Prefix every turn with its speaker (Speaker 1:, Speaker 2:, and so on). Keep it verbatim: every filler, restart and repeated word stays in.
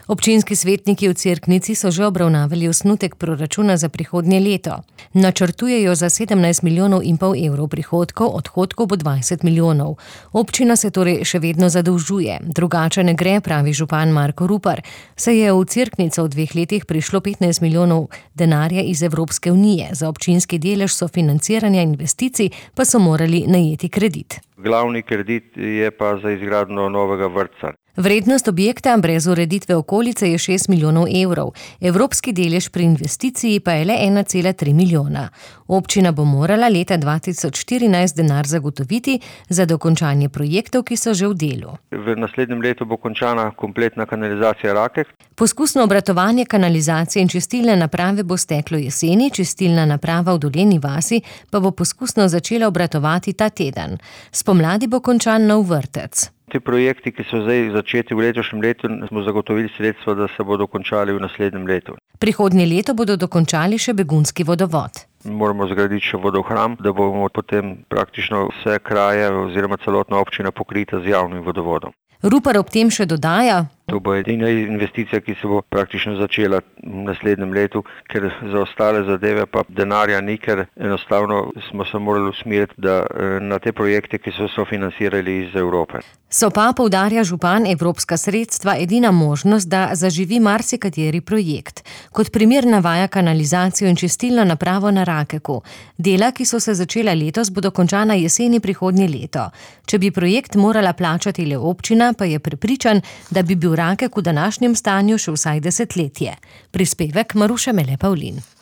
Speaker 1: Občinski svetniki v Cerknici so že obravnavali osnutek proračuna za prihodnje leto. Načrtujejo za sedemnajst milijonov in pol evrov prihodkov, odhodkov bo dvajset milijonov. Občina se torej še vedno zadolžuje. Drugače ne gre, pravi župan Marko Rupar. Se je v Cerknico v dveh letih prišlo petnajst milijonov denarja iz Evropske unije. Za občinski delež sofinanciranja investicij pa so morali najeti kredit.
Speaker 2: Glavni kredit je pa za izgradnjo novega vrtca.
Speaker 1: Vrednost objekta brez ureditve okolice je šest milijonov evrov. Evropski delež pri investiciji pa je le ena cela tri milijona. Občina bo morala leta dva tisoč štirinajst denar zagotoviti za dokončanje projektov, ki so že v delu.
Speaker 2: V naslednjem letu bo končana kompletna kanalizacija Rakek.
Speaker 1: Poskusno obratovanje kanalizacije in čistilne naprave bo steklo jeseni, čistilna naprava v Dolenji vasi pa bo poskusno začela obratovati ta teden. Spomladi bo končan nov vrtec.
Speaker 2: Ti projekti, ki so zdaj začeti v letošnjem letu, smo zagotovili sredstva, da se bodo končali v naslednjem letu.
Speaker 1: Prihodnje leto bodo dokončali še begunski vodovod.
Speaker 2: Moramo zgraditi še vodohram, da bomo potem praktično vse kraje oziroma celotna občina pokrita z javnim vodovodom.
Speaker 1: Rupar ob tem še dodaja:
Speaker 2: To bo edina investicija, ki se bo praktično začela v naslednjem letu, ker za ostale zadeve pa denarja ni, ker enostavno smo se morali usmeriti da, na te projekte, ki so sofinancirali iz Evrope.
Speaker 1: So pa, poudarja župan, evropska sredstva edina možnost, da zaživi marsikateri projekt. Kot primer navaja kanalizacijo in čistilno napravo na Rakeku. Dela, ki so se začela letos, bodo končana jeseni prihodnje leto. Če bi projekt morala plačati le občina, pa je prepričan, da bi bil Rakek v današnjem stanju še vsaj desetletje. Prispevek Maruše Mele Pavlin.